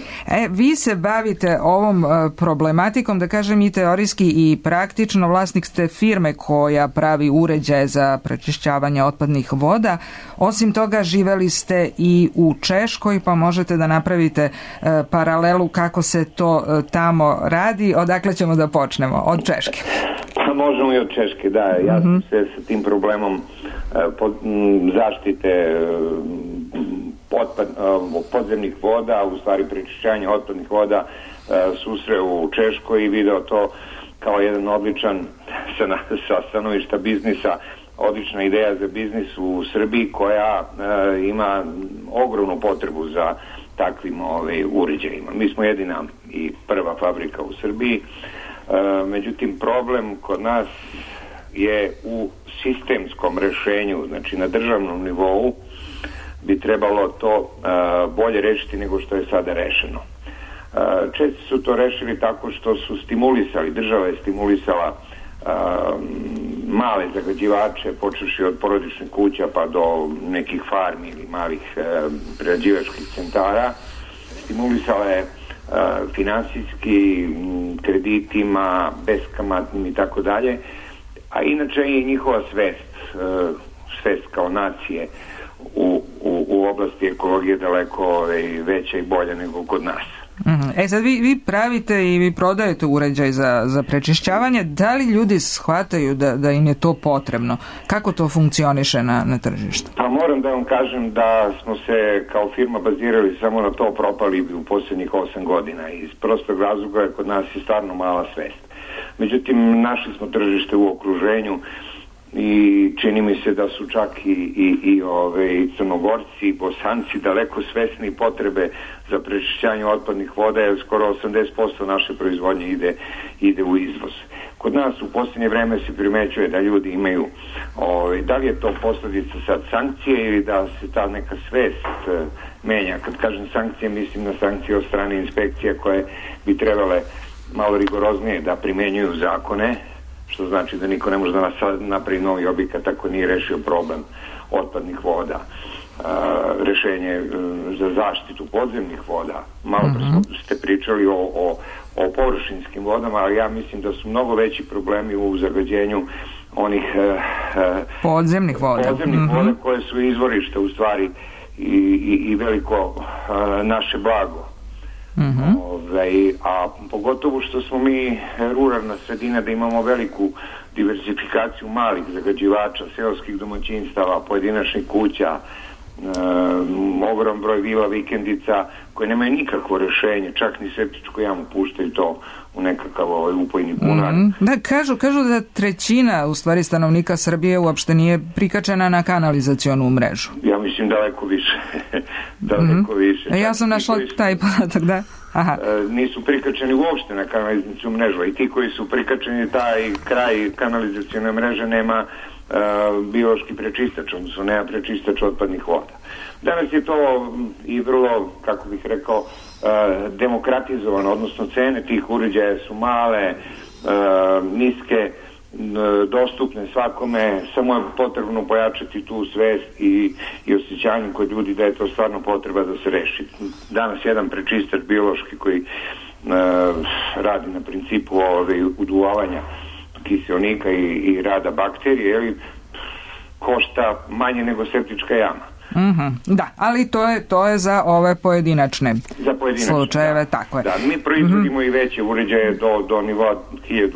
Vi se bavite ovom problematikom, da kažem i teorijski i praktično. Vlasnik ste firme koja pravi uređaje za prečišćavanje otpadnih voda. Osim toga, živeli ste i u Češkoj, pa možete da napravite paralelu kako se to tamo radi. Odakle ćemo da počnemo? Od Češke.
Pa možemo i od Češke, da. Ja sam se sa tim problemom zaštite podzemnih voda, u stvari prečišćavanja otpadnih voda, susreo u Češkoj i video to kao jedan odličan sa stanovišta biznisa, odlična ideja za biznis u Srbiji koja ima ogromnu potrebu za takvim uređajima. Mi smo jedina i prva fabrika u Srbiji, međutim problem kod nas je u sistemskom rešenju, znači na državnom nivou bi trebalo to bolje rešiti nego što je sada rešeno. Češci su to rešili tako što su stimulisali, država je stimulisala male zagađivače, počevši od porodičnih kuća pa do nekih farmi ili malih prerađivačkih centara. Stimulisala je finansijski, kreditima, beskamatnim i tako dalje, a inače je njihova svest kao nacije u oblasti ekologije daleko veća i bolja nego kod nas.
Sad vi pravite i vi prodajete uređaj za prečišćavanje. Da li ljudi shvataju da im je to potrebno? Kako to funkcioniše na tržištu?
Pa moram da vam kažem da smo se kao firma bazirali samo na to, propali u posljednjih 8 godina. Iz prostog razloga je kod nas je stvarno mala svest. Međutim, našli smo tržište u okruženju i čini mi se da su čak i Crnogorci i Bosanci daleko svesni potrebe za prečišćavanje otpadnih voda, jer skoro 80% naše proizvodnje ide u izvoz. Kod nas u posljednje vreme se primećuje da ljudi imaju, da li je to posljedica sad sankcije ili da se ta neka svest menja. Kad kažem sankcije, mislim na sankcije od strane inspekcija koje bi trebale malo rigoroznije da primenjuju zakone, što znači da niko ne može da napravi novi objekat ako nije rešio problem otpadnih voda. Rešenje za zaštitu podzemnih voda. Malo ste pričali o površinskim vodama, ali ja mislim da su mnogo veći problemi u zagađenju onih
podzemnih voda
koje su izvorište u stvari i veliko naše blago. A pogotovo što smo mi ruralna sredina, da imamo veliku diversifikaciju malih zagađivača, seoskih domaćinstava, pojedinačnih kuća, ogrom broj vila, vikendica koje nemaju nikakvo rešenje, čak ni septičku jamu puštaju to u nekakav upojni bunar.
Da, kažu da trećina u stvari stanovnika Srbije uopšte nije prikačena na kanalizacionu mrežu.
Ja mislim daleko više. Daleko više.
Ja sam našla taj podatak, da.
Nisu prikačeni uopšte na kanalizacijonu mrežu, i ti koji su prikačeni, taj kraj kanalizacijone mreže nema biološki prečistač, odnosno nema prečistač otpadnih voda. Danas je to i vrlo, kako bih rekao, demokratizovano, odnosno cene tih uređaja su male, niske, dostupne svakome, samo je potrebno pojačati tu svest i osjećanje kod ljudi da je to stvarno potreba da se reši. Danas jedan prečistač biološki koji radi na principu uduvavanja kiseonika i rada bakterije, košta manje nego septička jama.
Da, ali to je za ove pojedinačne slučajeve, tako je.
Da, mi proizvodimo i veće uređaje do nivoa 1000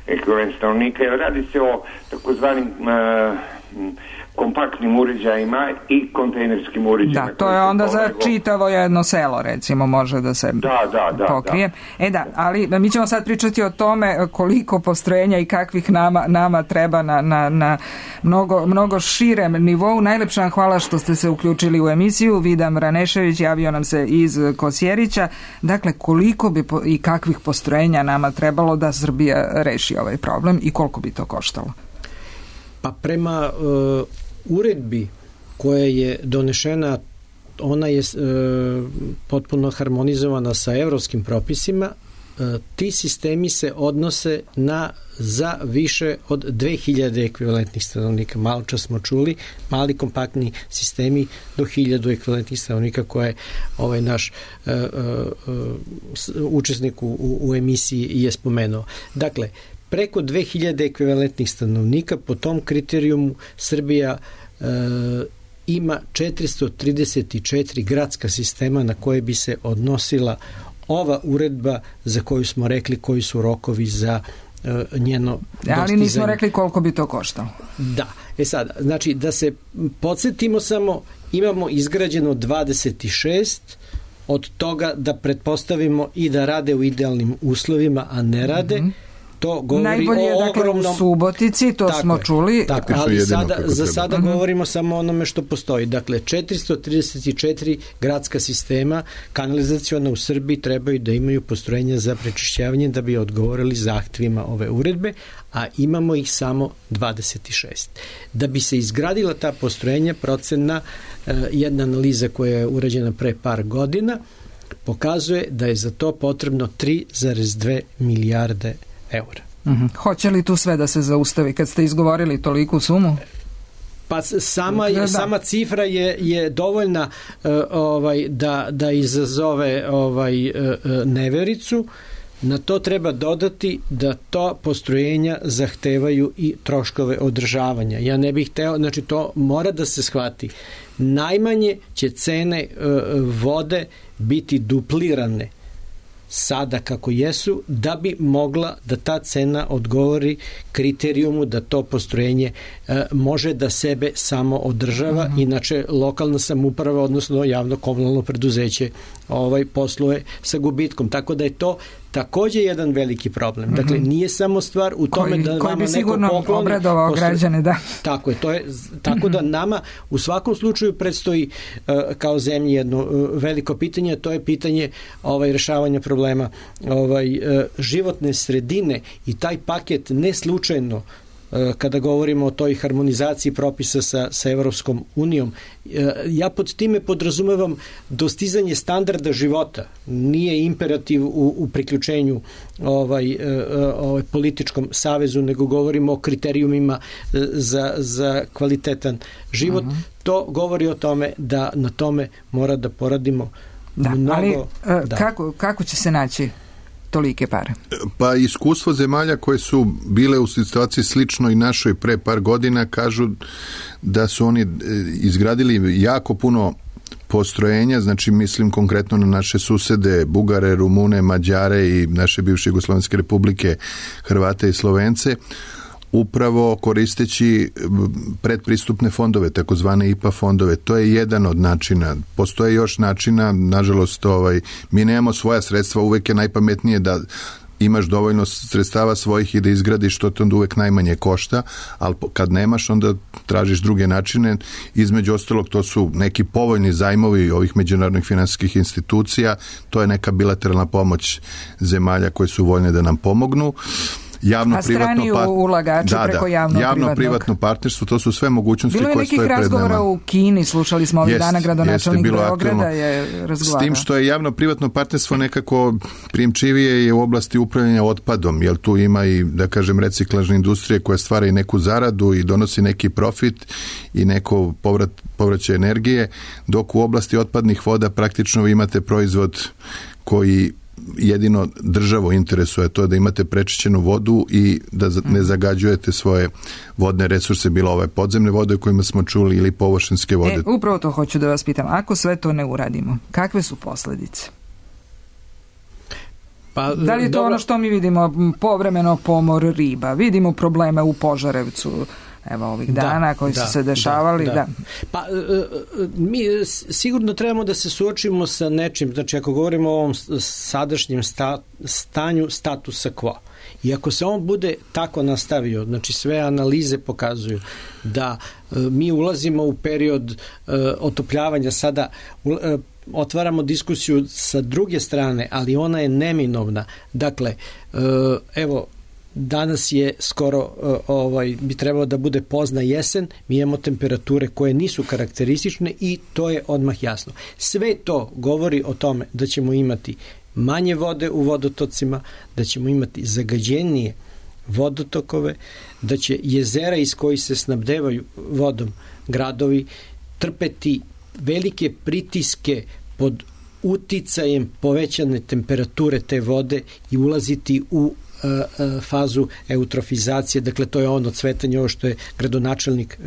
ekvivalent stanovnika, jer radi se o takozvanim kompaktnim uređajima i kontejnerskim uređajima.
Da, to je onda za čitavo jedno selo, recimo, može da se pokrije. Da, ali mi ćemo sad pričati o tome koliko postrojenja i kakvih nama treba na mnogo širem nivou. Najlepša vam hvala što ste se uključili u emisiju. Vidan Vranešević javio nam se iz Kosjerića. Dakle, koliko bi i kakvih postrojenja nama trebalo da Srbija reši ovaj problem i koliko bi to koštalo?
Pa prema uredbi koja je donešena, ona je potpuno harmonizovana sa evropskim propisima. Ti sistemi se odnose za više od 2000 ekvivalentnih stanovnika. Malo čas smo čuli, mali kompaktni sistemi do 1000 ekvivalentnih stanovnika koje ovaj naš učesnik u emisiji je spomenuo. Dakle, preko 2000 ekvivalentnih stanovnika, po tom kriterijumu Srbija ima 434 gradska sistema na koje bi se odnosila ova uredba za koju smo rekli koji su rokovi za njeno dostizanje.
Ali nismo rekli koliko bi to koštalo.
Da. Sad, znači da se podsjetimo samo, imamo izgrađeno 26, od toga da pretpostavimo i da rade u idealnim uslovima, a ne rade, to govori
najbolje je,
o ogromnom...
Dakle, u Subotici, to smo čuli.
Tako, ali za sada govorimo samo o onome što postoji. Dakle, 434 gradska sistema kanalizaciona u Srbiji trebaju da imaju postrojenja za prečišćavanje da bi odgovorili zahtevima ove uredbe, a imamo ih samo 26. Da bi se izgradila ta postrojenja, procena, jedna analiza koja je urađena pre par godina, pokazuje da je za to potrebno 3,2 milijarde eura.
Hoće li tu sve da se zaustavi kad ste izgovorili toliku sumu?
Pa sama cifra je dovoljna da izazove nevericu. Na to treba dodati da to postrojenja zahtevaju i troškove održavanja. Ja ne bih hteo, znači to mora da se shvati. Najmanje će cene vode biti duplirane sada kako jesu, da bi mogla da ta cena odgovori kriterijumu da to postrojenje može da sebe samo održava, inače lokalna samouprava, odnosno javno komunalno preduzeće posluje sa gubitkom. Tako da je to takođe jedan veliki problem. Dakle, nije samo stvar u tome da
koji
vama
bi sigurno
neko pokloni
obradovao građane, da.
Tako je, tako da nama u svakom slučaju predstoji kao zemlji jedno veliko pitanje, a to je pitanje rešavanja problema životne sredine i taj paket ne slučajno kada govorimo o toj harmonizaciji propisa sa Evropskom unijom. Ja pod time podrazumevam dostizanje standarda života. Nije imperativ u priključenju političkom savezu, nego govorimo o kriterijumima za kvalitetan život. To govori o tome da na tome mora da poradimo mnogo.
Ali kako će se naći tolike pare?
Pa iskustvo zemalja koje su bile u situaciji slično i našoj pre par godina kažu da su oni izgradili jako puno postrojenja, znači mislim konkretno na naše susede, Bugare, Rumune, Mađare i naše bivše Jugoslovenske republike, Hrvate i Slovence, upravo koristeći predpristupne fondove, takozvane IPA fondove. To je jedan od načina. Postoje još načina, nažalost, mi nemamo svoja sredstva, uvek je najpametnije da imaš dovoljno sredstava svojih i da izgradiš, što te onda uvek najmanje košta, ali kad nemaš, onda tražiš druge načine. Između ostalog, to su neki povoljni zajmovi ovih međunarodnih finansijskih institucija, to je neka bilateralna pomoć zemalja koje su voljne da nam pomognu.
Strani ulagači preko
javno-privatno partnerstvo, to su sve mogućnosti koje stoje pred nama.
Bilo je nekih razgovora u Kini, slušali smo ovih dana, gradonačelnik Beograda je razgovarao.
S tim što je javno-privatno partnerstvo nekako primčivije je u oblasti upravljanja otpadom, jer tu ima i, da kažem, reciklažne industrije koja stvara i neku zaradu i donosi neki profit i neko povraćaj energije, dok u oblasti otpadnih voda praktično vi imate proizvod koji jedino državu interesuje, to je da imate prečišćenu vodu i da ne zagađujete svoje vodne resurse, bilo ove podzemne vode o kojima smo čuli ili površinske vode.
Upravo to hoću da vas pitam. Ako sve to ne uradimo, kakve su posljedice? Da li je to ono što mi vidimo, povremeno pomor riba, vidimo probleme u Požarevcu, evo ovih dana koji su se dešavali.
Pa mi sigurno trebamo da se suočimo sa nečim, znači ako govorimo o ovom sadašnjem stanju statusa quo. I ako se on bude tako nastavio, znači sve analize pokazuju da mi ulazimo u period otopljavanja, sada otvaramo diskusiju sa druge strane, ali ona je neminovna. Dakle, evo, danas je skoro bi trebalo da bude pozna jesen, mi imamo temperature koje nisu karakteristične i to je odmah jasno. Sve to govori o tome da ćemo imati manje vode u vodotocima, da ćemo imati zagađenije vodotokove, da će jezera iz kojih se snabdevaju vodom gradovi trpeti velike pritiske pod uticajem povećane temperature te vode i ulaziti u fazu eutrofizacije, dakle to je ono cvetanje, ovo što je gradonačelnik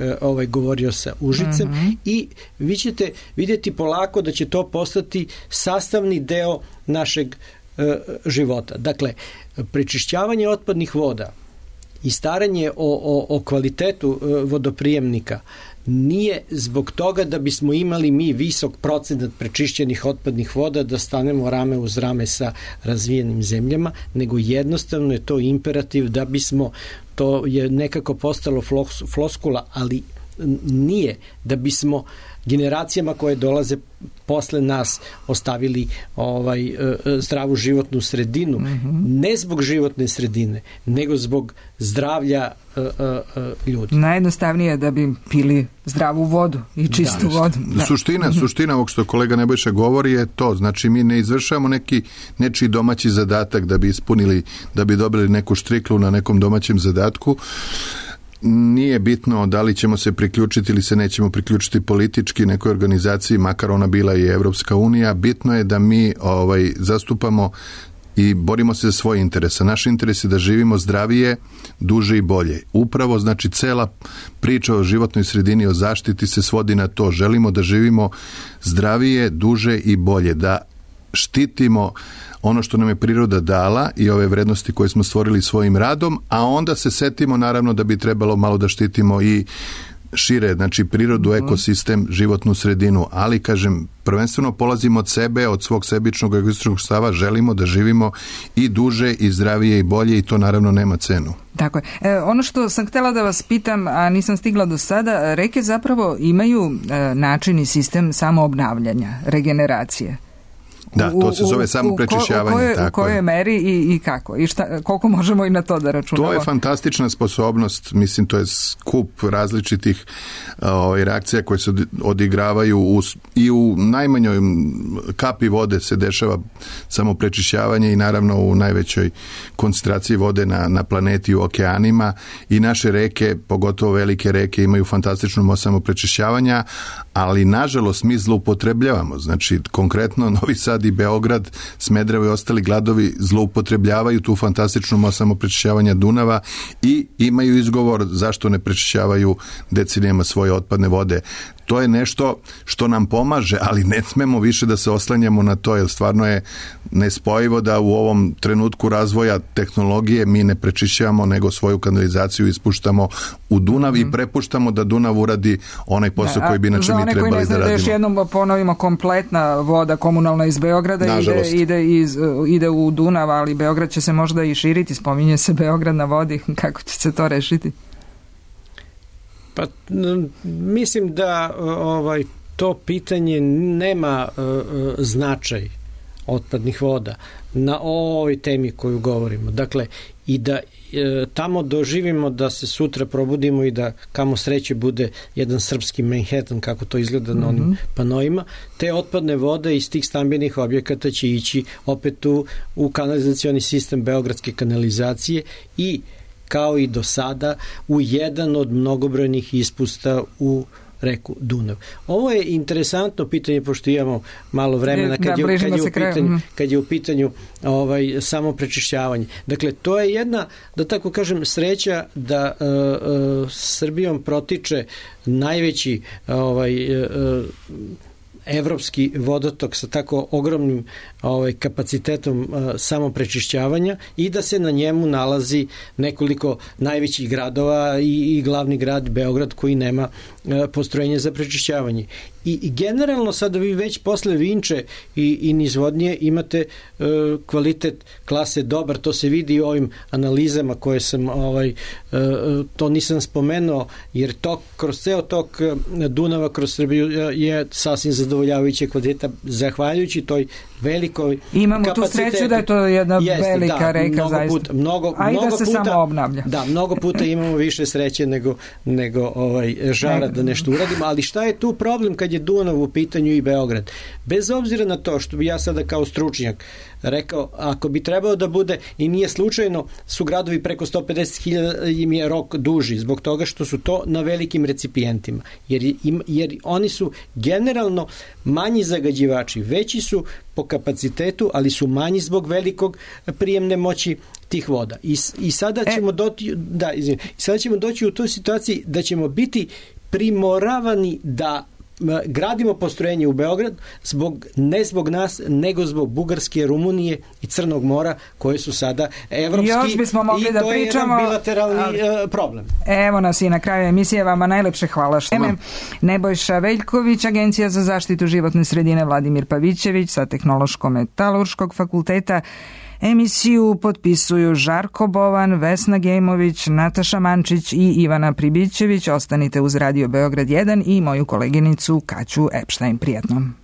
govorio sa Užicem, i vi ćete vidjeti polako da će to postati sastavni deo našeg života. Dakle, prečišćavanje otpadnih voda i staranje o kvalitetu vodoprijemnika nije zbog toga da bismo imali mi visok procenat prečišćenih otpadnih voda, da stanemo rame uz rame sa razvijenim zemljama, nego jednostavno je to imperativ da bismo, to je nekako postalo floskula, ali nije, da bismo generacijama koje dolaze posle nas ostavili zdravu životnu sredinu, ne zbog životne sredine, nego zbog zdravlja ljudi.
Najjednostavnije je da bi pili zdravu vodu i čistu vodu.
Suština ovog što kolega Nebojša govori je to, znači mi ne izvršavamo nečiji domaći zadatak da bi ispunili, da bi dobili neku štriklu na nekom domaćem zadatku. Nije bitno da li ćemo se priključiti ili se nećemo priključiti politički nekoj organizaciji, makar ona bila i Evropska unija. Bitno je da mi zastupamo i borimo se za svoje interese. Naš interes je da živimo zdravije, duže i bolje. Upravo, znači, cela priča o životnoj sredini, o zaštiti se svodi na to. Želimo da živimo zdravije, duže i bolje, da štitimo ono što nam je priroda dala i ove vrednosti koje smo stvorili svojim radom, a onda se setimo naravno da bi trebalo malo da štitimo i šire, znači prirodu, ekosistem, životnu sredinu, ali kažem, prvenstveno polazimo od sebe, od svog sebičnog egoističnog stava, želimo da živimo i duže i zdravije i bolje i to naravno nema cenu.
Tako je. Ono što sam htjela da vas pitam, a nisam stigla do sada, reke zapravo imaju način i sistem samoobnavljanja, regeneracije.
Da, to se zove samo prečišćavanje.
U kojoj meri i kako? I koliko možemo i na to da računamo?
To je fantastična sposobnost, mislim, to je skup različitih reakcija koje se odigravaju i u najmanjoj kapi vode se dešava samo prečišćavanje i naravno u najvećoj koncentraciji vode na planeti, u okeanima, i naše reke, pogotovo velike reke, imaju fantastičnu samo prečišćavanja, ali nažalost mi zloupotrebljavamo. Znači, konkretno Novi Sad i Beograd, Smederevo i ostali gradovi zloupotrebljavaju tu fantastičnu samoprečišćavanja Dunava i imaju izgovor zašto ne prečišćavaju decenijama svoje otpadne vode. To je nešto što nam pomaže, ali ne smemo više da se oslanjamo na to, jer stvarno je nespojivo da u ovom trenutku razvoja tehnologije mi ne prečišćavamo, nego svoju kanalizaciju ispuštamo u Dunav i prepuštamo da Dunav uradi onaj posao koji bi inače mi trebali da radimo. Za one koji ne znaju da još
jednom ponovimo, kompletna voda komunalna iz Beograda ide u Dunav, ali Beograd će se možda i širiti, spominje se Beograd na vodi, kako će se to rešiti?
Pa mislim da to pitanje nema značaj otpadnih voda na ovoj temi koju govorimo. Dakle, i da tamo doživimo da se sutra probudimo i da kamo sreće bude jedan srpski Manhattan, kako to izgleda na onim panoima, te otpadne vode iz tih stambenih objekata će ići opet u kanalizacioni sistem beogradske kanalizacije i kao i do sada u jedan od mnogobrojnih ispusta u reku Dunav. Ovo je interesantno pitanje, pošto imamo malo vremena kad je u pitanju samo prečišćavanje. Dakle, to je jedna, da tako kažem, sreća da Srbijom protiče najveći evropski vodotok sa tako ogromnim kapacitetom samoprečišćavanja i da se na njemu nalazi nekoliko najvećih gradova i glavni grad Beograd koji nema postrojenje za prečišćavanje. I generalno sada vi već posle Vinče i nizvodnje imate kvalitet klase dobar, to se vidi u ovim analizama koje sam to nisam spomenuo, jer kroz ceo tok Dunava kroz Srbiju je sasvim zadovoljavajuće kvaliteta zahvaljujući toj velikoj
imamo
kapacitetu.
Tu sreću da je to jedna velika reka zaista.
A
i da se samo obnavlja.
Da, mnogo puta imamo više sreće nego žara da nešto uradimo, ali šta je tu problem kad je Dunav u pitanju i Beograd? Bez obzira na to što bi ja sada kao stručnjak rekao, ako bi trebao da bude, i nije slučajno, su gradovi preko 150.000 im je rok duži, zbog toga što su to na velikim recipijentima. Jer oni su generalno manji zagađivači, veći su po kapacitetu, ali su manji zbog velikog prijemne moći tih voda. I sada ćemo doći u toj situaciji da ćemo biti primoravani da gradimo postrojenje u Beograd ne zbog nas, nego zbog Bugarske, Rumunije i Crnog mora, koje su sada evropski,
još bismo mogli da pričamo,
je jedan bilateralni problem.
Evo nas i na kraju emisije, vama najlepše hvala. Nebojša Veljković, Agencija za zaštitu životne sredine, Vladimir Pavićević sa Tehnološko-metalurškog fakulteta. Emisiju potpisuju Žarko Bovan, Vesna Gejmović, Nataša Mančić i Ivana Pribićević. Ostanite uz Radio Beograd 1 i moju koleginicu Kaću Epštajn. Prijatno.